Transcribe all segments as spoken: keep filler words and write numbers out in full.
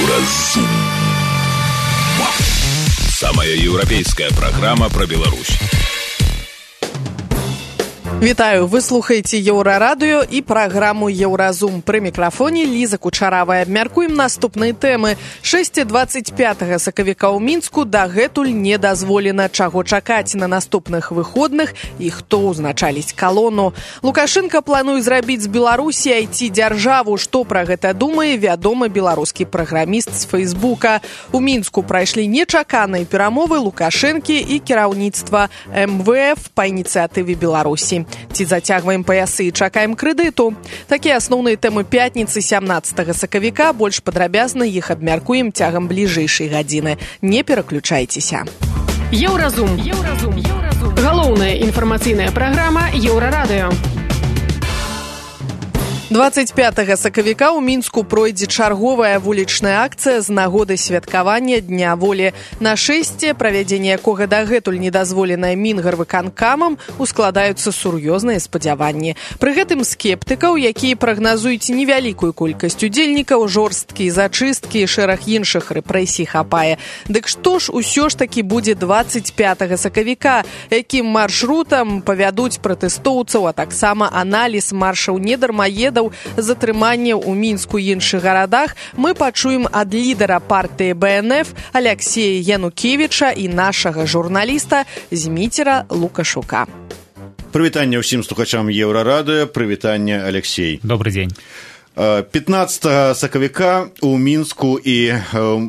Еўразум. Самая еўрапейская программа про Беларусь. Вітаю, вы слухаеце Еўрарадыё і праграму Еўразум. Пры мікрафоне Ліза Кучаравая. Абмяркуем наступныя тэмы. шэсць дваццаць пятага сакавіка ў Мінску дагэтуль не дазволена, чаго чакаць на наступных выходных і хто ўзначаліць калону. Лукашенко плануе зрабіць з Беларусі ай ти-дзяржаву. Што пра гэта думае вядомы беларускі праграміст з Фейсбука. У Мінску прайшлі нечаканыя перамовы Лукашэнкі і кіраўніцтва эм вэ эф па ініцыятыве Беларусі. Ці зацягваем паясы і чакаем крэдыту? Такія асноўныя тэмы пятніцы сямнаццатага сакавіка. Больш падрабязна іх абмяркуем цягам бліжэйшай гадзіны. Не пераключайцеся. Еўразум. Еўразум. Еўразум. Галоўная інфармацыйная праграма Еўрарадыё. дваццаць пятага сакавіка ў Мінску пройдзе чарговая вулічная акцыя з нагоды святкавання Дня волі. На шэсце, правядзенне якога дагэтуль недазволенае Мінгарвыканкамам, ускладаюцца сур'ёзныя спадзяванні. Пры гэтым скептыкаў, якія прагназуюць невялікую колькасць удзельнікаў, жорсткія зачысткі і шэраг іншых рэпрэсій хапае. Дык што ж усё ж такі будзе дваццаць пятага сакавіка? Якім маршрутам павядуць пратэстоўцаў, а таксама аналіз маршаў недармаедаў, затрымання ў Мінску і іншых гарадах, мы пачуем ад лідара партыі бэ эн эф Аляксея Янукевіча і нашага журналіста Зміцера Лукашука. Прывітанне ўсім слухачам Еўрарадыё, прывітанне, Алексей. Добрый дзень. пятнаццатага сакавіка ў Мінску і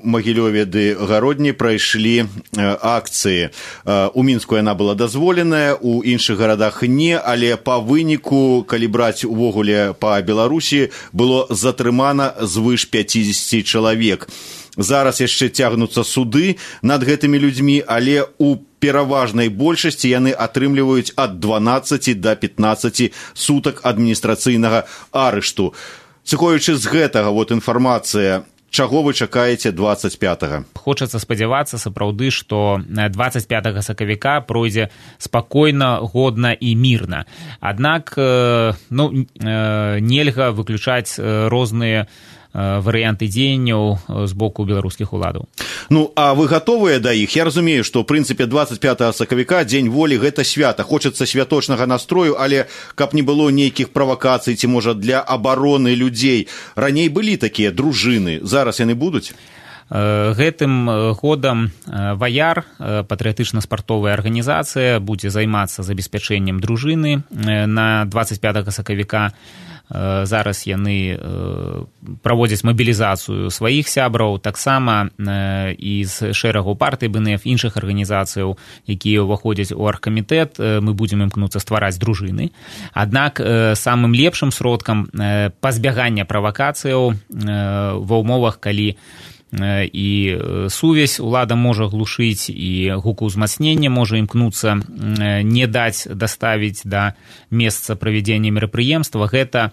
Магілёве ды Гародні прайшлі акцыі. У Мінску яна была дазволеная, у іншых гарадах не, але па выніку, калі браць увогуле па Беларусі, было затрымана звыш пяцідзесяці чалавек. Зараз яшчэ цягнуцца суды над гэтымі людзьмі, але у пераважнай большасці яны атрымліваюць ад дванаццаці да пятнаццаці сутак адміністрацыйнага арышту. Сыходзячы з гэтага вот інфармацыя, чаго вы чакаеце дваццаць пятага? Хочацца спадзявацца сапраўды, што дваццаць пятага сакавіка пройдзе спакойна, годна і мірна. Аднак ну, нельга выключаць розныя варыянты дзеянняў з боку беларускіх уладаў. Ну, а вы гатовыя да іх? Я разумею, што ў прынцыпе дваццаць пятага сакавіка дзень волі гэта свята. Хочацца святочнага настрою, але каб не было нейкіх правакацый ці можа для абароны людзей. Раней былі такія дружыны, зараз яны будуць? Гэтым годам Ваяр, патрыятычна-спартовая арганізацыя, будзе займацца забеспячэннем дружыны на дваццаць пятага сакавіка. Зараз яны праводзяць мабілізацыю сваіх сябраў, таксама і з шэрагу партый бэ эн эф, іншых арганізацыяў, якія ўваходзяць у аргкамітэт, мы будзем імкнуцца ствараць дружыны. Аднак самым лепшым сродкам пазбягання правакацыяў ва ўмовах, калі і сувязь улада можа глушыць і гукаўзмацнення можа імкнуцца не даць даставіць да месца правядзення мерапрыемства, гэта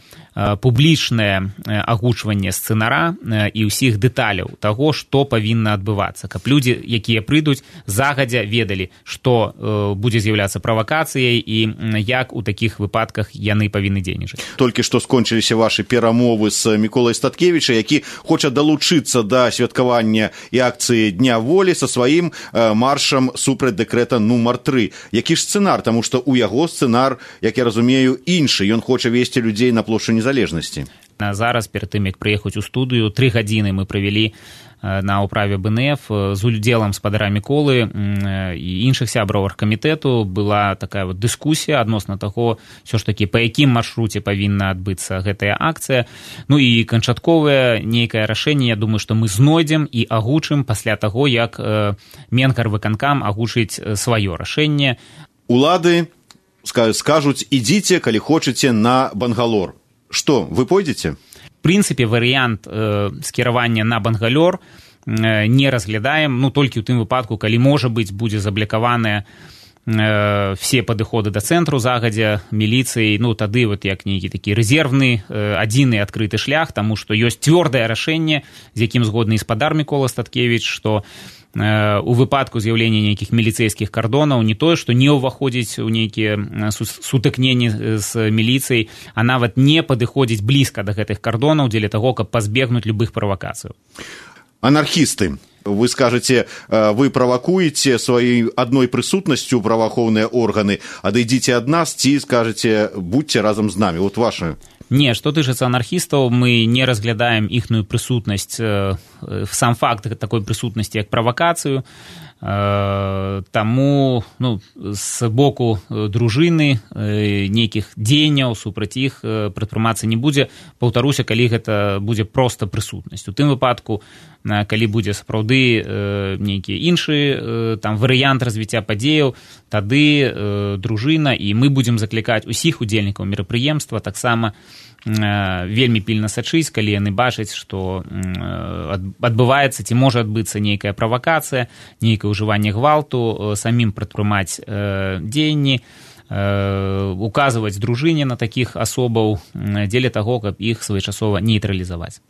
публічнае агучванне сцэнара і ўсіх дэталяў таго, што павінна адбывацца, каб людзі, якія прыйдуць, загадзя ведалі, што будзе з'яўляцца правакацыяй і як у такіх выпадках яны павінны дзейнічаць. Толькі што скончыліся вашы перамовы з Міколай Статкевіча, які хоча далучыцца да святкавання і акцыі Дня волі са сваім маршам супраць дэкрэта нумар тры. Які ж сцэнар? Таму што ў яго сцэнар, як я разумею, іншы. Ён хоча весці людзей на плошчу незалежнасці. Зараз, перад тым, як прыехаць у студыю, тры гадзіны мы правялі на ўправе бэ эн эф з удзелам спадара Міколы і іншых сябраў аргкамітэту. Была такая вот дыскусія адносна таго, ўсё ж такі, па якім маршруце павінна адбыцца гэтая акцыя. Ну і канчатковае нейкае рашэнне, я думаю, што мы знойдзем і агучым пасля таго, як Мінгарвыканкам агучыць сваё рашэнне. Улады скажуць, ідзіце, калі хочаце, на Бангалор. Што, вы пойдзеце? В прынцыпе, варыянт э, скіравання на Бангалор э, не разглядаем, ну, толькі ў тым выпадку, калі, можа быць, будзе заблякаваныя э, все падыходы да цэнтру загадзя міліцыі, ну, тады вот як нейкі такі рэзервны, э, адзіны адкрыты шлях, таму што ёсць цвёрдае рашэнне, з якім згодны і спадар Мікола Статкевіч, што у выпадку з'яўлення нейкіх міліцэйскіх кардонаў не тое, што не ўваходзіць у нейкія сутыкненні з міліцыяй, а нават не падыходзіць блізка да гэтых кардонаў дзеля таго, каб пазбегнуць любых правакацыяў. Анархісты. Вы скажете, вы правакуеце сваёй адной прысутнасцю праваахоўныя органы, адыдзіце ад нас, ці скажете, будьте разам з намі. Вот ваше. Не, што тычыцца анархістаў, мы не разглядаем іхную прысутнасць, сам факт такой прысутнасці, як правакацыю. Таму ну, з боку дружыны нейкіх дзеянняў супраць іх прадпрымацца не будзе. Паўтаруся, калі гэта будзе проста прысутнасць. У тым выпадку, калі будзе сапраўды нейкі іншы там варыянт развіцця падзеяў, тады дружына і мы будзем заклікаць усіх удзельнікаў мерапрыемства таксама вельмі пільна сачыць, калі яны бачаць, што адбываецца ці можа адбыцца нейкая правакацыя, нейкае ўжыванне гвалту, самім прадпрымаць дзеянні, указваць дружыне на такіх асобаў дзеля таго, каб іх своечасова нейтралізаваць.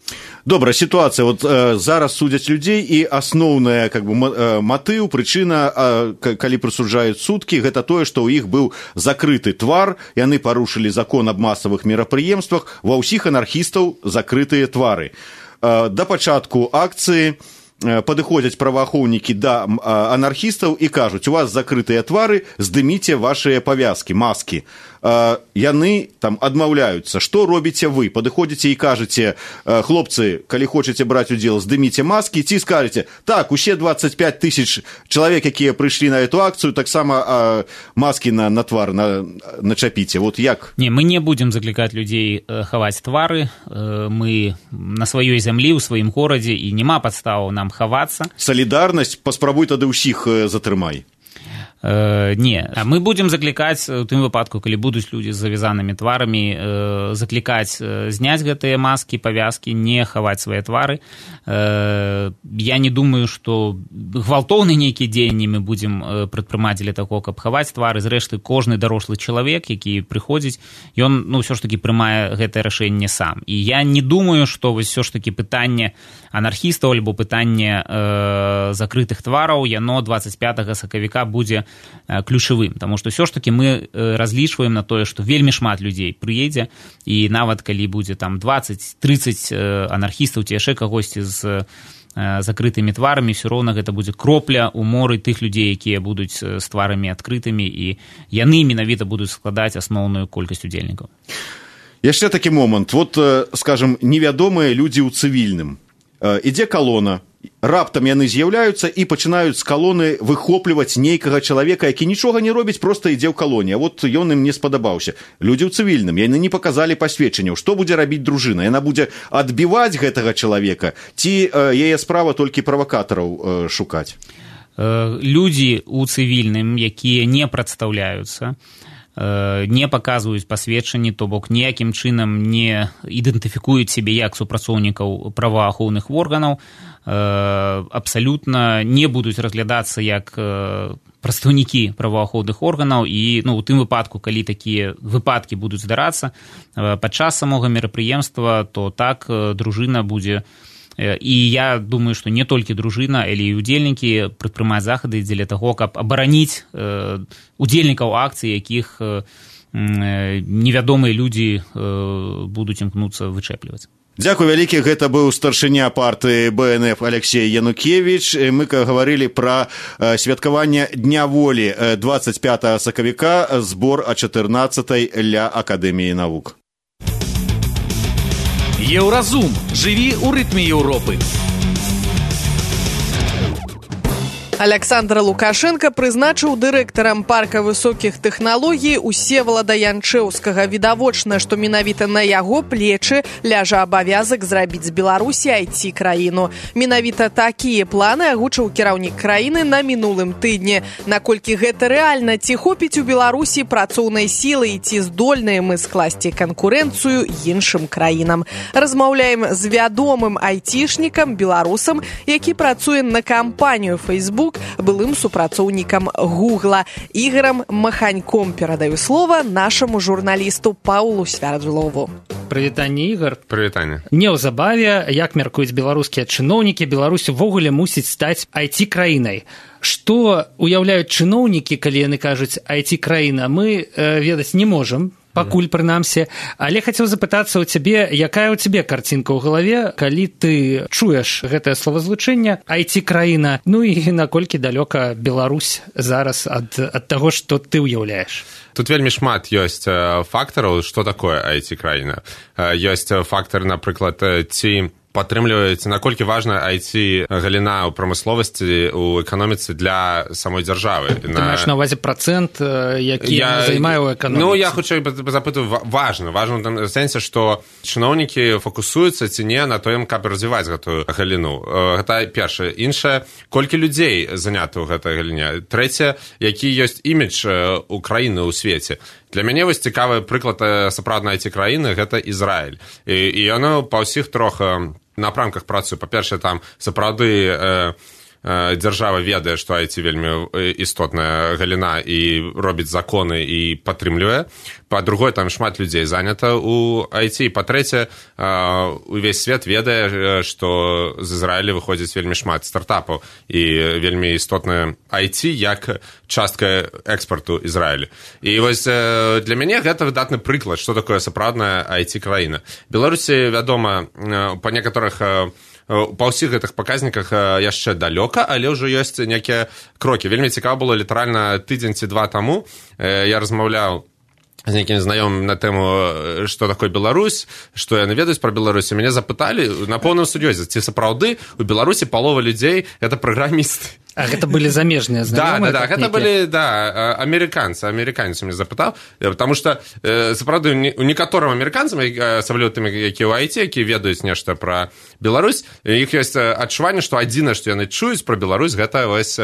Добра, сітуацыя. Вот э, зараз судзяць людзей, і асноўная как бы, матыў, прычына, э, калі прысуджаюць суткі, гэта тое, што ў іх быў закрыты твар, яны парушылі закон аб масавых мерапрыемствах, ва ўсіх анархістаў закрытыя твары. Э, да пачатку акцыі падыходзяць праваахоўнікі да анархістаў і кажуць, у вас закрытыя твары, здыміце вашыя павязкі, маскі. Яны там адмаўляюцца. Што робіце вы? Падыходзіце і кажаце, хлопцы, калі хочаце браць удзел, здыміце маскі, ці скажаце, так, усе двадцать пять тысяч чалавек, якія прыйшлі на эту акцыю, таксама маскі на, на твар на, начапіце. Вот як? Не, мы не будзем заклікаць людзей хаваць твары. Мы на сваёй зямлі, у сваім горадзе, і няма падставаў нам хавацца. Салідарнасць, паспрабуй тады ўсіх затрымай. Э, не, мы будзем заклікаць у тым выпадку, калі будуць людзі з завязанымі тварамі, э, заклікаць э, зняць гэтыя маскі, павязкі, не хаваць свае твары. Э, я не думаю, што гвалтоўныя нейкія дзеянні мы будзем э, прадпрымаць для таго, каб хаваць твары. Зрэшты, кожны дарослы чалавек, які прыходзіць, ён ну, ўсё ж такі прымае гэтае рашэнне сам. І я не думаю, што вось ўсё ж такі пытанне анархістаў альбо пытанне э, закрытых твараў, яно двадцать пятага сакавіка будзе ключавым, таму што ўсё ж такі мы разлічваем на тое, што вельмі шмат людзей прыедзе, і нават калі будзе там двадцать тридцать анархістаў ці яшчэ кагосьці з закрытымі тварамі, ўсё роўна гэта будзе кропля ў моры тых людзей, якія будуць з тварамі адкрытымі, і яны менавіта будуць складаць асноўную колькасць удзельнікаў. Яшчэ такі момант. Вот, скажем, невядомыя людзі ў цывільным. Ідзе калона, раптам яны з'яўляюцца і пачынаюць з калоны выхопліваць нейкага чалавека, які нічога не робіць, проста ідзе ў калоне. А вот ён ім не спадабаўся. Людзі ў цывільным, яны не паказалі пасведчанняў. Што будзе рабіць дружына? Яна будзе адбіваць гэтага чалавека, ці э, яе справа толькі правакатараў э, шукаць? Э, людзі ў цывільным, якія не прадстаўляюцца, не паказваюць пасведчанні, то бок ніякім чынам не ідэнтыфікуюць сябе як супрацоўнікаў праваахоўных органаў, абсалютна не будуць разглядацца як прадстаўнікі праваахоўных органаў, і ну, у тым выпадку, калі такія выпадкі будуць здарацца падчас самога мерапрыемства, то так дружына будзе. І я думаю, што не толькі дружына, але і удзельнікі прадпрымаць захады дзеля таго, каб абараніць э, удзельнікаў акцыі, якіх э, невядомыя людзі э, будуць імкнуцца вычэпліваць. Дзякуй вялікі, гэта быў старшыня партыі бэ эн эф Алексей Янукевич. Мы гаварылі пра святкаванне Дня волі двадцать пятага сакавіка, збор о чатырнаццатай ля Акадэміі навук. Еўразум. Жыві ў рытме Еўропы. Александр Лукашенко прызначыў дырэктарам парка высокіх тэхналогій Усевалада Янчэўскага. Відавочна, што менавіта на яго плечы ляжа абавязак зрабіць з Беларусі ай ти-краіну. Менавіта такія планы агучыў кіраўнік краіны на мінулым тыдні. Наколькі гэта рэальна, ці хопіць у Беларусі працоўнай сілы і ці здольныя мы скласці канкурэнцыю іншым краінам. Размаўляем з вядомым айцішнікам, беларусам, які працуе на кампанію Facebook, былым супрацоўнікам Гугла. Ігорам Маханьком перадаю слова нашаму журналісту Паўлу Свярдлову. Прывітанне, Ігор. Прывітанне. Неўзабаве, як мяркуюць беларускія чыноўнікі, Беларусь увогуле мусіць стаць ай ти-краінай. Што уяўляюць чыноўнікі, калі яны кажуць ай ти-краіна, мы э, ведаць не можам. пакуль прынамсі. Але хацеў запытацца ў цябе, якая ў цябе карцінка ў галаве, калі ты чуеш гэтае словазлучэнне ай ти-краіна, ну і наколькі далёка Беларусь зараз ад, ад таго, што ты ўяўляеш? Тут вельмі шмат ёсць фактараў, што такое ай ти-краіна. Ёсць фактар, напрыклад, ці падтрымліваюць, наколькі важна ай ти-галіна ў прамысловасці, у эканоміцы для самой дзяржавы. Ты на... маеш на ўвазе працэнт, які я... займае ў эканоміцы? Ну, я хутчэй запытаю, важна. Важна ў сэнсе, што чыноўнікі фокусуюцца ці не на тым, каб развіваць гэтую галіну. Гэта першае. Іншае, колькі людзей занята ў гэтай галіне. Трэцяе, які ёсць імідж у краіны ў свеце. Для мяне вось цікавы прыклад сапраўднай ай ти-краіны, гэта Ізраіль. І, і яно па ўсіх трох напрамках працуе. Па-першае, там сапраўды э, э, дзяржава ведае, што ай ти вельмі істотная галіна і робіць законы і падтрымлівае. Па-другое, там шмат людзей занята ў ай ти. Па-трэцяе, э, увесь свет ведае, што з Ізраіля выходзіць вельмі шмат стартапаў і вельмі істотная ай ти як частка экспарту Ізраіля. І вось э, для мяне гэта выдатны прыклад, што такое сапраўдная ай ти-краіна. Беларусі, вядома, э, па некаторых э, па ўсіх гэтых паказніках яшчэ далёка, але ўжо ёсць нейкія крокі. Вельмі цікава было літаральна тыдзень ці два таму. Э, я размаўляў з нейкім знаёмым на тэму, што такое Беларусь, што яны ведаюць пра Беларусь. Мяне запыталі на поўным сур'ёзе, ці сапраўды у Беларусі палова людзей гэта праграмісты. А гэта былі замежныя знаёмыя? Да, да, да, гэта былі, да, амерыканцы, амерыканец мне запытаў, потому што, э, сапраўды, у некаторым амерыканцам, асабліва тым, якія ў ай ти, якія ведаюць нешта пра Беларусь, іх ёсць адчуванне, што адзінае, што яны чуюць пра Беларусь, гэта вось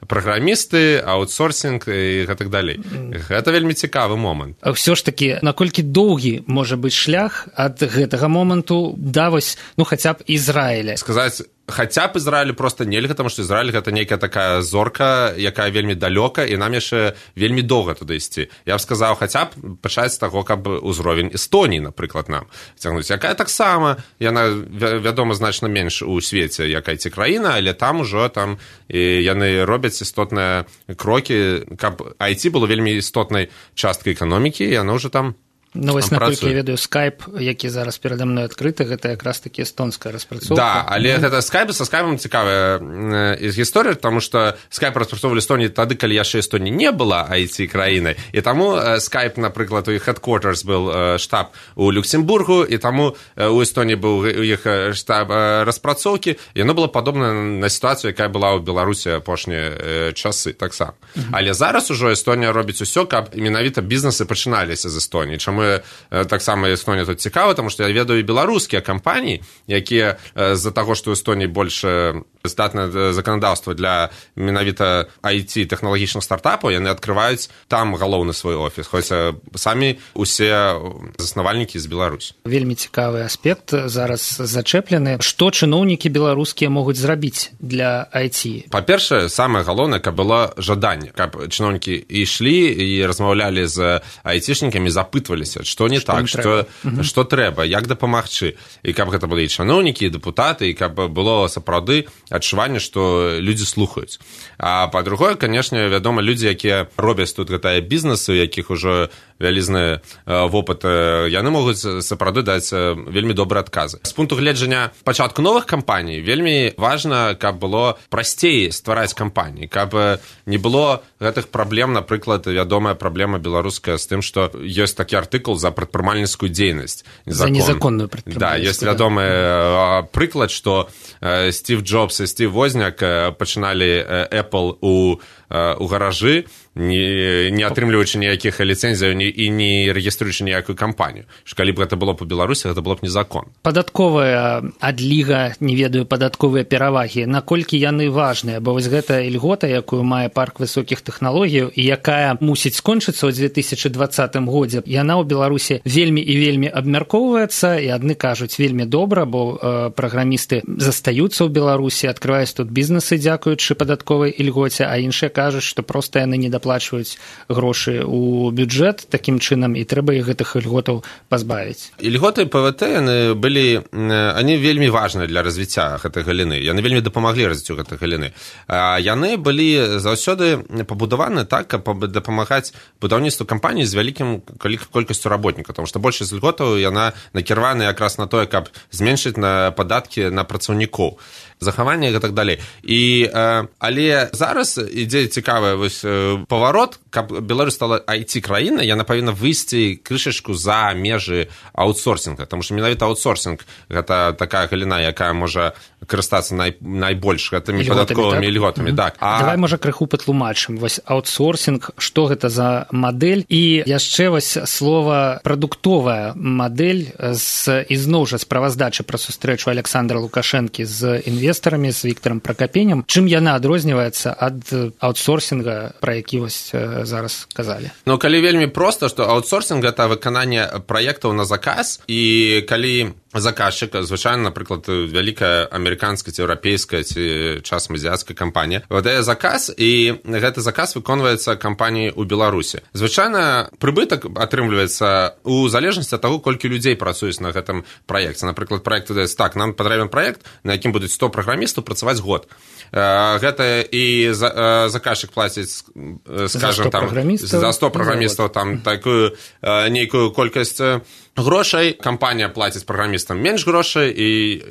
праграмісты, аутсорсінг і гэтак далей. Гэта вельмі цікавы момант. Ўсё ж такі, наколькі доўгі можа быць шлях ад гэтага моманту да вось, ну, хаця б Ізраіля? Сказаць, хаця б Ізраілю проста нельга, таму што Ізраіль гэта нейкая такая зорка, якая вельмі далёка, і нам яшчэ вельмі доўга туды ісці. Я б сказаў, хаця б пачаць з таго, каб узровень Эстоніі, напрыклад, нам цягнуць. Якая таксама, яна, вядома, значна менш у свеце, як ай ти-краіна, але там ужо там і яны робяць істотныя крокі, каб ай ти было вельмі істотнай часткай эканомікі, і яно ўжо там Ну, вось, наколькі я ведаю, Skype, які зараз перада мной адкрыты, гэта якраз такі эстонская распрацоўка. Да, але гэта Skype, са Skype цікавая гісторыя, таму што Skype распрацоўвалі Эстоніі тады, калі яшчэ Эстонія не была ай ти-краінай, і таму Skype, напрыклад, у іх headquarters был штаб у Люксембургу, і таму у Эстонії быў у іх штаб распрацоўкі, і яно было падобна на сітуацыю, якая была ў Беларусі апошнія часы таксама. Mm-hmm. Але зараз ужо Эстонія робіць усё, каб менавіта бізнесы пачыналіся з Эстоніі. Чаму таксама Эстонія тут цікава, таму што я ведаю і беларускія кампаніі, якія з-за таго, што ў Эстонії больш здатнае заканадаўства для менавіта ай ти тэхналагічных стартапаў, яны адкрываюць там галоўны свой офіс, хоць самі усе заснавальнікі з Беларусі. Вельмі цікавы аспект зараз зачэплены. Што чыноўнікі беларускія могуць зрабіць для ай ти? Па-першае, самае галоўнае, каб было жаданне, каб чыноўнікі ішлі і размаўлялі з айцішнікамі, запытваліся, што не што так, што, угу. што трэба, як дапамагчы. І каб гэта былі і чыноўнікі, і дэпутаты, і каб было сапраўды адчуванне, што людзі слухаюць. А па-другое, канешне, вядома, людзі, якія робяць тут гэтыя бізнесы, у якіх ужо вялізны вопыт, яны могуць сапраўды даць вельмі добрыя адказы. З пункту гледжання пачатку новых кампаній вельмі важна, каб было прасцей ствараць кампаніі, каб не было гэтых праблем, напрыклад, вядомая праблема беларуская з тым, што ёсць такі артыкул за прадпрымальніцкую дзейнасць. За незаконную прадпрымальніцкую. Да, ёсць вядомы да. прыклад, што Стив Джобс і Стив Возняк пачыналі Apple у, у гаражы, не, не атрымліваючы ніякіх ліцэнзіяў і не рэгіструючы ніякую кампанію. Што калі б гэта было па Беларусі, гэта было б незаконна. Падатковая адліга, не ведаю, падатковыя перавагі, наколькі яны важныя, бо вось гэта ільгота, якую мае парк высокіх тэхналогіяў і якая мусіць скончыцца ў две тысячы дваццатым годзе, яна ў Беларусі вельмі і вельмі абмяркоўваецца, і адны кажуць вельмі добра, бо э, праграмісты застаюцца ў Беларусі, адкрываюць тут бізнесы, дзякуючы падатковай ільгоце, а іншыя кажуць, кажуць, што проста яны не даплачваюць грошы ў бюджэт такім чынам, і трэба іх гэтых ільготаў пазбавіць. Ільготы ПВТ, яны былі, они вельмі важныя для развіцця гэтай галіны. Яны вельмі дапамаглі развіццю гэтай галіны. Яны былі заўсёды пабудаваны так, каб дапамагаць будаўніцтву кампаніі з вялікім колькасцю работнікаў, тому што большасць ільготаў яна накіравана якраз на тое, каб зменшыць на падаткі на працаўнікоў, захаванне і так далей. І, але зараз ідзе цікавы вось паварот, каб Беларусь стала ай ти-краіна, яна павінна выйсці крышачку за межы аутсорсінга, тому што менавіта аутсорсінг гэта такая галіна, якая можа карыстацца най, найбольш гэтымі падатковымі ільготамі. Так? А... Давай, можа, крыху патлумачым. Вось аутсорсінг, што гэта за мадэль? І яшчэ вось слова прадуктовая мадэль з, ізноў жа справаздачы пра сустрэчу Александра Лукашэнкі з інвестарамі, з Віктарам Пракапенем. Чым яна адрозніваецца ад аутсорсінга, пра які вось зараз казалі? Ну, калі вельмі проста, што аутсорсінг – гэта выкананне праектаў на заказ, і калі заказчык, звычайна, напрыклад, вялікая амерыканская ці еўрапейская ці часам азіяцкая кампанія, выдае заказ, і гэты заказ выконваецца кампаніяй у Беларусі. Звычайна, прыбытак атрымліваецца у залежнасці ад таго, колькі людзей працуюць на гэтым праекце. Напрыклад, праект выдаецца так, нам патрэбен праект, на якім будуць сто праграмістаў працаваць год. Гэта і заказчык плаціць, скажам, там, за сто праграмістаў там такую нейкую колькасць грошай, кампанія плаціць праграмістам менш грошай, і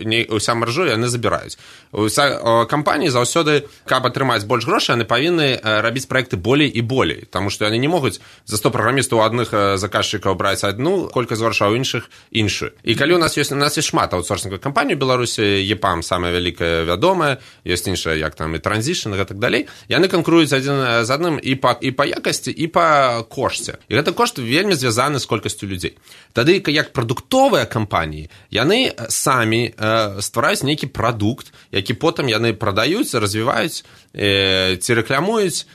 не, уся маржу яны забіраюць. Уся кампаніі заўсёды, каб атрымаць больш грошай, яны павінны рабіць праекты болей і болей, таму што яны не могуць за сто праграмістаў у адных заказчыкаў браць адну колькасць грошай, а ў іншых іншую. І калі у нас ёсць, у нас ёсць шмат аутсорсінговых кампаній у Беларусі, ЕПАМ самая вялікая вядомая, ёсць іншая, як там і Транзішн і так далей, яны канкуруюць адзін з адным і па, і па якасці, і па кошце. І гэты кошт вельмі звязаны з колькасцю людзей. Тады, як прадуктовыя кампаніі, яны самі э, ствараюць нейкі прадукт, які потым яны прадаюць, развіваюць э, ці рэкламуюць,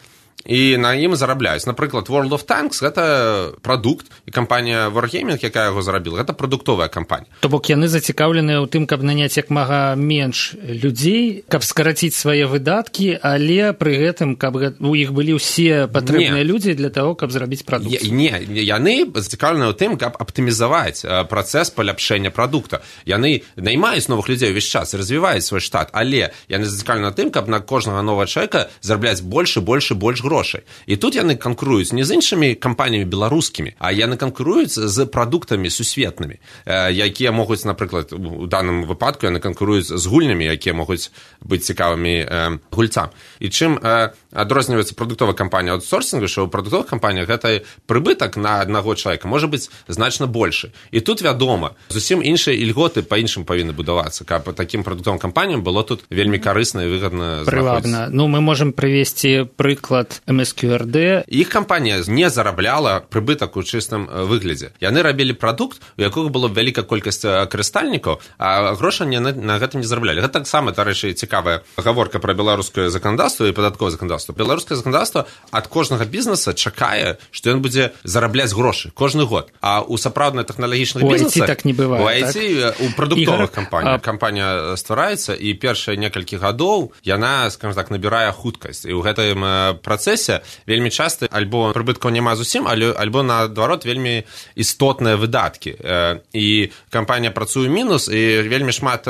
і на ім зарабляюць. Напрыклад, World of Tanks – гэта прадукт, і кампанія Wargaming, якая яго зарабіла, гэта прадуктовая кампанія. То бок яны зацікаўленыя ў тым, каб наняць як мага менш людзей, каб скараціць свае выдаткі, але пры гэтым, каб у іх былі ўсе патрэбныя людзі для таго, каб зрабіць прадукт. Не, яны зацікаўленыя ў тым, каб аптымізаваць працэс паляпшэння прадукта. Яны наймаюць новых людзей увесь час, развіваюць свой штат, але яны зацікаўленыя тым, каб на кожнага новага чалавека зарабляць больш і больш і больш грошай. І тут яны канкуруюць не з іншымі кампаніямі беларускімі, а яны канкуруюць з прадуктамі сусветнымі, якія могуць, напрыклад, у даным выпадку яны канкуруюць з гульнямі, якія могуць быць цікавымі гульцам. І чым адрозніваецца прадуктовая кампанія аутсорсінгу, што ў прадуктовых кампаніях гэта прыбытак на аднаго чалавека можа быць значна большы. І тут, вядома, зусім іншыя ільготы па-іншым павінны будавацца, каб такім прадуктовым кампаніям было тут вельмі карысна і выгадна знаходзіцца. Прывабна. Ну, мы можам прывесці прыклад эм эс кью эр дэ. Іх кампанія не зарабляла прыбытак у чыстым выглядзе. Яны рабілі прадукт, у якога было вялікая колькасць карыстальнікаў, а грошы на, на гэтым не зараблялі. Гэта таксама, дарэчы, цікавая гаворка пра беларускае заканадаўства і падатковае заканадаўства. Беларускае заканадаўства ад кожнага бізнеса чакае, што ён будзе зарабляць грошы кожны год. А у сапраўдных тэхналагічных бізнесах... У ай ти так не бывае, у ай ти, так? У прадуктовых кампаніях. А... Кампанія ствараецца, і першыя некалькі гадоў яна, скажем так, набірае хуткасць. І ў гэтым працэсе вельмі часта альбо прыбыткаў няма зусім, альбо, наадварот, вельмі істотныя выдаткі. І кампанія працуе мінус, і вельмі шмат,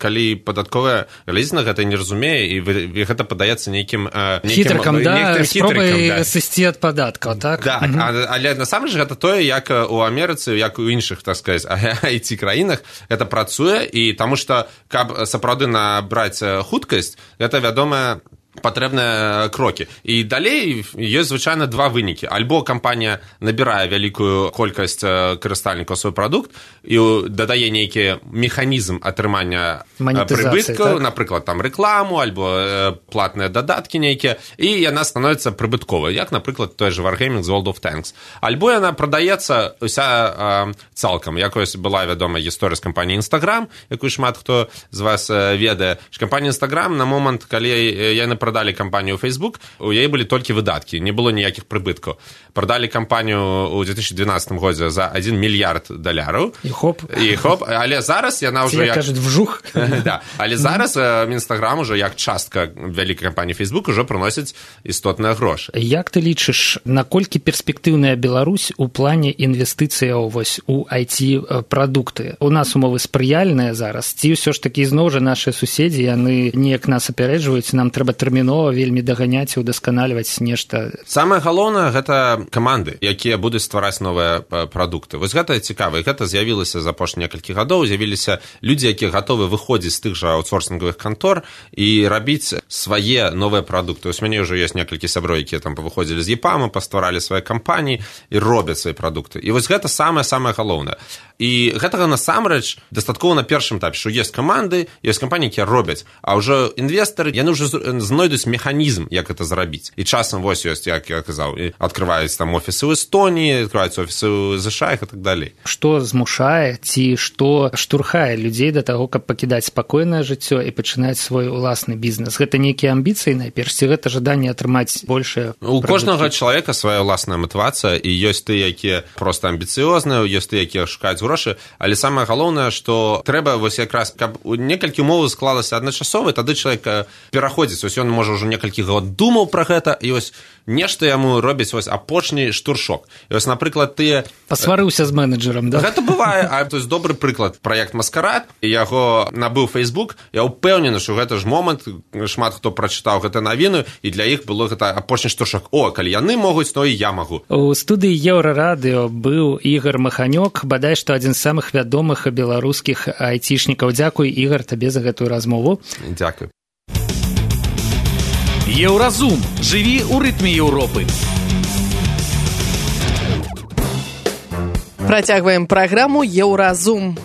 калі падатковая глядзіць на гэта не разумее, і гэта падаецца нейкім... Хітрыкам, да, спробай да. сысці ад падаткаў, так? Так, mm-hmm. але насамрэч гэта тое, як у Амерыцы, як у іншых, так сказаць, ай ти-краінах гэта працуе, і таму што, каб сапраўды набраць хуткасць, гэта, вядома, патрэбныя крокі. І далей ёсць звычайна два вынікі. Альбо кампанія набірае вялікую колькасць карыстальнікаў свой прадукт і дадае нейкі механізм атрымання прыбыткаў, так? Напрыклад, там рэкламу, альбо платныя дадаткі нейкія, і яна становіцца прыбытковай, як, напрыклад, той же Wargaming з World of Tanks. Альбо яна прадаецца уся цалкам. Якось была вядомая гісторыя з кампаніяй Instagram, якую шмат хто з вас ведае. Кампанія Instagram на момант, калі яны прадалі кампанію Facebook, у яе былі толькі выдаткі, не было ніякіх прыбыткаў. Прадалі кампанію ў две тысячи двенадцатым годзе за один мільярд даляраў. І хоп. І хоп, але зараз яна ўжо як... кажуць, вжух. Да. Але зараз Інстаграм ужо як частка вялікай кампаніі Facebook ужо прыносіць істотныя грошы. Як ты лічыш, наколькі перспектыўная Беларусь у плане інвестыцыяў вось у ай ти-прадукты? У нас умовы спрыяльныя зараз, ці ўсё ж такі зноў жа нашыя суседзі, яны неяк нас апярэджваюць, нам трэба тэрмінова вельмі даганяць і удасканальваць нешта. Самае галоўнае гэта каманды, якія будуць ствараць новыя прадукты. Вось гэта цікава, і гэта з'явілася за апошнія некалькі гадоў, з'явіліся людзі, якія гатовы выходзіць з тых жа аутсорсінговых кантор і рабіць свае новыя прадукты. Вось мяне ўжо ёсць некалькі сяброў, якія там павыходзілі з ЕПАМа, пастваралі свае кампаніі і робяць свае прадукты. І вось гэта самае-самае галоўнае. І гэтага насамрэч дастаткова на першым этапе, што ёсць каманды, ёсць кампаніі, якія робяць, а ўжо інвестары, яны ўжо знойдуць механізм, як гэта зрабіць. І часам вось ёсць, як я казаў, адкрываюць там офісы ў Эстоніі, адкрываюць офісы ў ЗША і так далей. Што змушае ці што штурхае людзей да таго, каб пакідаць спакойнае жыццё і пачынаць свой уласны бізнес? Гэта нейкія амбіцыі, найперш, ці гэта жаданне атрымаць большае? У кожнага чалавека свая ўласная матывацыя, і ёсць тыя, якія проста амбіцыёзныя, ёсць тыя, якія шукаюць грошы, але самае галоўнае, што трэба вось якраз, каб некалькі умоваў склалася адначасова, тады чалавек пераходзіць, вось ён можа ўжо некалькі год думаў пра гэта, і вось нешта яму робіць вось апошні штуршок. І вось, напрыклад, тыя... Пасварыўся з менеджерам, да? Гэта бывае, а то есть добры прыклад, праект «Маскарад», яго набыў Facebook, я ўпэўнены, што гэта ж момант, шмат хто прачытаў гэта навіну, і для іх было гэта апошні штуршок. О, калі яны могуць, то і я магу. У студыі Еўрарадыё быў Ігар Маханёк, бадай што адзін з самых вядомых беларускіх айцішнікаў. Дзякуй, Ігар, табе за гэтую размову. Дзякуй. Еўразум. Жыві ў рытме Еўропы. Працягваем праграму «Еўразум».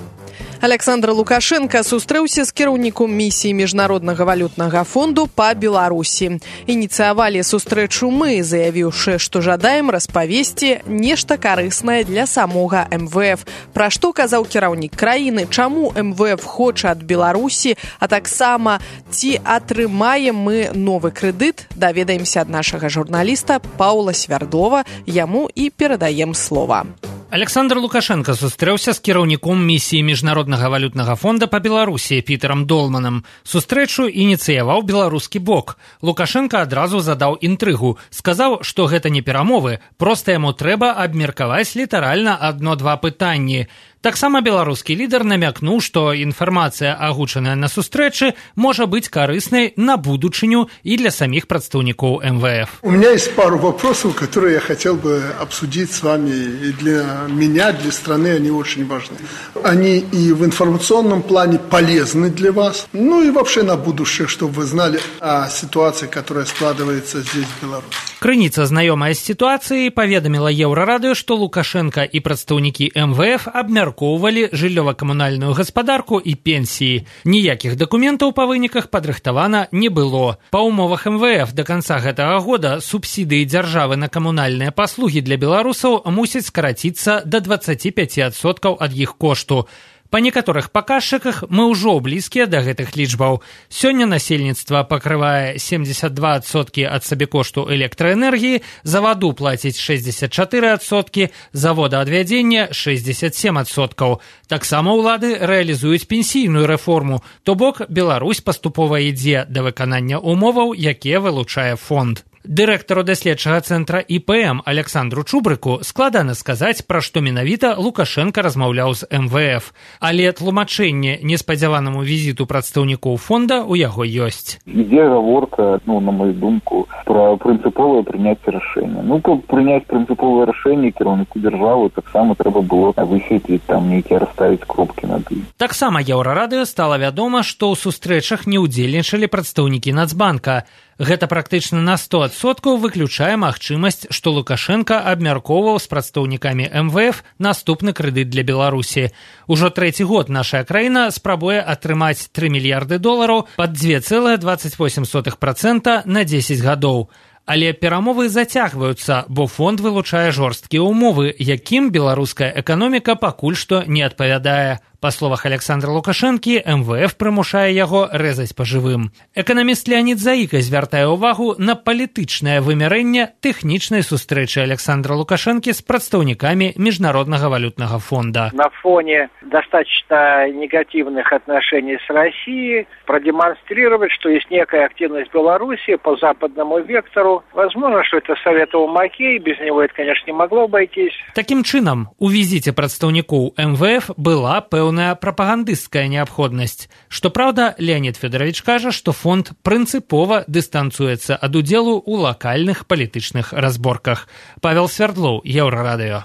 Александр Лукашенко сустрэўся з кіраўніком місіі Міжнароднага валютнага фонду па Беларусі. Ініцыявалі сустрэчу мы, заявіўшы, што жадаем распавесці нешта карыснае для самога эм вэ эф. Пра што казаў кіраўнік краіны, чаму эм вэ эф хоча ад Беларусі, а таксама ці атрымаем мы новы крэдыт, даведаемся ад нашага журналіста Паўла Свярдлова, яму і перадаем слова. Александр Лукашенко сустрэўся з кіраўніком місіі Міжнароднага валютнага фонда па Беларусі Пітерам Долманам. Сустрэчу ініцыяваў беларускі бок. Лукашенко адразу задаў інтрыгу. Сказаў, што гэта не перамовы, проста яму трэба абмеркаваць літаральна адно-два пытанні. Таксама беларускі лідар намякнуў, што інфармацыя, агучаная на сустрэчы, можа быць карыснай на будучыню і для самих прадстаўнікоў эм вэ эф. У меня есть пару вопросов, которые я хотел бы обсудить с вами. И для меня, для страны они очень важны. Они и в информационном плане полезны для вас, ну и вообще на будущее, чтобы вы знали о ситуации, которая складывается здесь, в Беларуси. Крыніца, знаёмая з сітуацыяй, паведаміла Еўрарадыё, што Лукашенко і прадстаўнікі эм вэ эф абмяркоўвалі жыллёва-камунальную гаспадарку і пенсіі. Ніякіх дакументаў па выніках падрыхтавана не было. Па умовах эм вэ эф да канца гэтага года субсідыі дзяржавы на камунальныя паслугі для беларусаў мусяць скараціцца да дваццаць пяць адсоткаў ад іх кошту. Па некаторых паказчыках мы ўжо блізкія да гэтых лічбаў. Сёння насельніцтва пакрывае семьдесят два адсоткі ад сабекошту электраэнергіі, за ваду плаціць шэсцьдзесят чатыры адсоткі, за водаадвядзенне шэсцьдесят сем адсоткаў. Таксама ўлады рэалізуюць пенсійную рэформу, то бок Беларусь паступова ідзе да выканання умоваў, якія вылучае фонд. Дырэктару даследчага цэнтра і пэ эм Александру Чубрыку складана сказаць, пра што менавіта Лукашенко размаўляў з эм вэ эф. Але тлумачэнне неспадзяванаму візіту прадстаўнікоў фонда ў яго ёсць. Ідзе гаворка, ну, на мою думку, пра прынцыповае прыняцце рашэння. Ну, каб прыняць прынцыповае рашэнне кіраўніку дзяржавы, таксама трэба было высветліць там нейкія расставіць кропкі над ім. Таксама Еўрарадыё стала вядома, што ў сустрэчах не ўдзельнічалі прадстаўнікі Нацбанка. Гэта практычна на сто адсоткаў выключае магчымасць, што Лукашенко абмяркоўваў з прадстаўнікамі эм вэ эф наступны крэдыт для Беларусі. Ужо трэці год наша краіна спрабуе атрымаць тры мільярды долараў пад два цэлых дваццаць восем сотых працэнта на дзесяць гадоў. Але перамовы зацягваюцца, бо фонд вылучае жорсткія ўмовы, якім беларуская эканоміка пакуль што не адпавядае. Па словах Александра Лукашэнкі, эм вэ эф прымушае яго рэзаць па жывым. Эканаміст Леонид Заіка звяртае ўвагу на палітычнае вымярэнне тэхнічнай сустрэчы Александра Лукашэнкі з прадстаўнікамі Международного валютного фонда. На фоне достаточно негативных отношений с Россией продемонстрировать, что есть некая активность Беларуси по западному вектору. Возможно, что это советовал Маккей, без него это, конечно, не могло обойтись. Таким чынам, у візіце прадстаўнікоў эм вэ эф была пэўная прапагандысцкая неабходнасць. Што праўда, Леонид Федорович кажа, што фонд прынцыпова дыстанцуецца ад удзелу ў лакальных палітычных разборках. Павел Свердлоў, Еўрарадыё.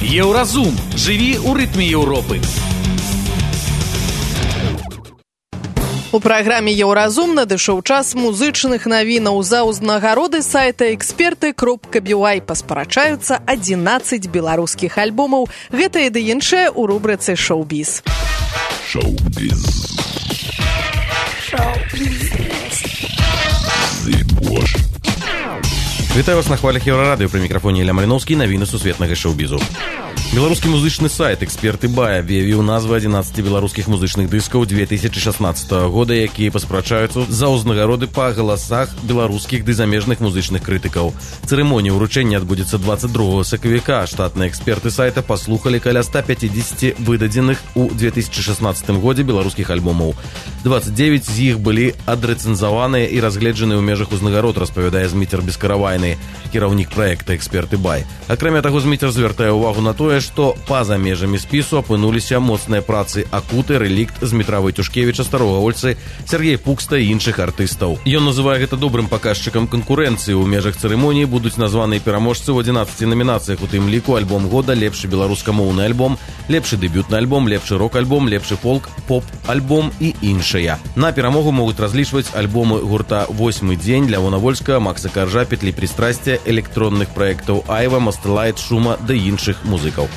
Еўразум. Жыві ў рытме Еўропы. У праграме «Еўразум» надышоў час музычных навінаў. За ўзнагароды сайта эксперты кропка бі уай паспрачаюцца адзінаццаць беларускіх альбомаў. Гэта і ды іншае ў рубрыцы «Шоу-біз». Шоу-біз. Шоу-біз. Вітаю вас на хвалях Еўрарадыё, пры мікрафоне Ілля Маліноўскі, навіны сусветнага шоу-бізу. Беларускі музычны сайт «Эксперты Бай» аб'явіў назвы адзінаццаці беларускіх музычных дыскаў две тысячи шаснаццатага года, якія паспрачаюцца за ўзнагароды па галасах беларускіх ды замежных музычных крытыкаў. Цырымонія ўручэння адбудзецца двадцать другого сакавіка. Штатныя эксперты сайта паслухалі каля ста пятьдесят выдадзеных у две тысячи шаснаццатым годзе беларускіх альбомаў. двадцать девять з іх былі адрэцэнзаваныя і разгледжаны ў межах узнагарод, распавядае Зміцер Бескаравайны, кіраўнік праекта «Эксперты Бай». Акрамя таго, Зміцер звяртае ўвагу на тое, што па-за межамі спісу апынуліся моцныя працы Акуты, Рэлікт, Змітра Вайтушкевіча, Старога Ольцы, Сергея Пукста і іншых артыстаў. Ён называе гэта добрым паказчыкам канкурэнцыі. У межах цырымоніі будуць названыя пераможцы ў адзінаццаці намінацыях, у тым ліку альбом года, лепшы беларускамоўны альбом, лепшы дэбютны альбом, лепшы рок-альбом, лепшы фолк, поп-альбом і іншыя. На перамогу могуць разлічваць альбомы гурта «Восьмы дзень», Лявона Вольска, Макса Каржа, Петлі Пристрасця, электронных праектаў Айва, Мастэлайт, Шума да іншых музыкаў.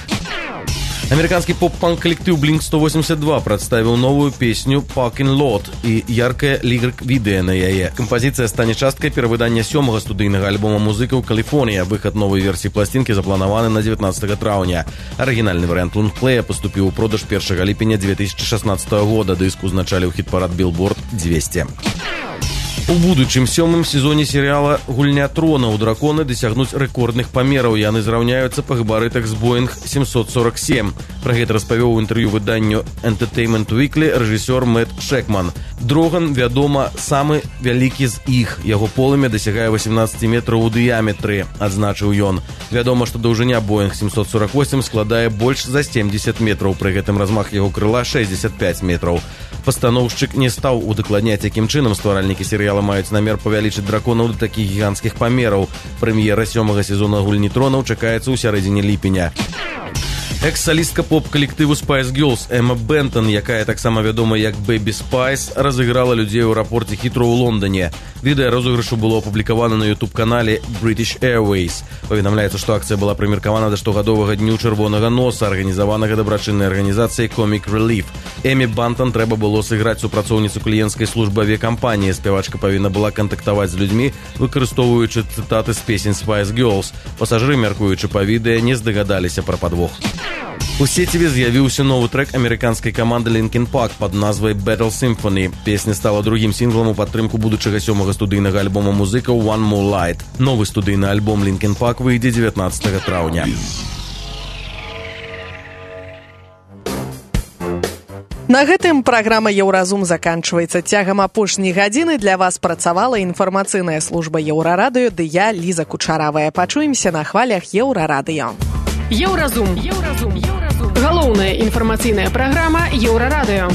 Американский поп-панк коллектив Блинк сто восемьдесят два представил новую песню «Parking Lot» и яркое лирик-відэа на яе. Композиция станет часткой перавыдання сёмага студыйнага альбома музыкаў «Калифорния». Выход новой версии пластинки запланаваны на девятнадцатого траўня. Оригинальный вариант лонгплея поступил у продаж першага ліпеня две тысячи шаснаццатага года. Дыск узначалі ў хіт-парад Billboard двести. У будучым сёмым сезоне серыяла «Гульня тронаў» драконы дасягнуць рэкордных памераў. Яны зраўняюцца па габарытах з Боинг семьсот сорок семь. Пра гэта распавёў у інтэрв'ю выданню Entertainment Weekly рэжысёр Мэтт Шэкман. Дроган, вядома, самы вялікі з іх. Яго полымя дасягае восемнадцать метраў у дыяметры, адзначыў ён. Вядома, што даўжыня Боинг семьсот сорок восемь складае больш за семьдесят метраў. Пры гэтым размах яго крыла шестьдесят пять метраў. Пастаноўшчык не стаў удакладняць, якім чынам стваральнікі серыяла маюць намер павялічыць драконаў да такіх гіганцкіх памераў. Прэм'ера сёмага сезона «Гульні тронаў» чакаецца ў сярэдзіне ліпеня. Экс-салістка поп-калектыву Spice Girls Эмма Бентон, якая таксама вядома як Baby Spice, разыграла людзей у аэрапорце Хітроу ў Лондоне. Відэа розыгрышу было апублікавана на YouTube-канале British Airways. Паведамляецца, што акцыя была прымеркавана да штогадовага дню чырвонага носа, арганізаванага дабрачыннай арганізацыяй Comic Relief. Эмме Бентон трэба было сыграць супрацоўніцу кліенцкай службы авіякампаніі. Спявачка павінна была кантактаваць з людзьмі, выкарыстоўваючы цытаты з песень Spice Girls. Пасажыры, мяркуючы па відэа, не здагадаліся пра падвох. У сеціве з'явіўся новы трэк амерыканскай каманды Linkin Park пад назвай Battle Symphony. Песня стала другім сінглам у падтрымку будучага сёмага студыйнага альбома музыкаў One More Light. Новы студыйны альбом Linkin Park выйдзе девятнадцатого траўня. На гэтым праграма «Еўразум» заканчваецца. Цягам апошняй гадзіны для вас працавала інфармацыйная служба Еўрарадыё, ды я, Ліза Кучаравая. Пачуемся на хвалях Еўрарадыё. Еўразум. Еўразум. Еўразум. Галоўная інфармацыйная праграма Еўрарадыё.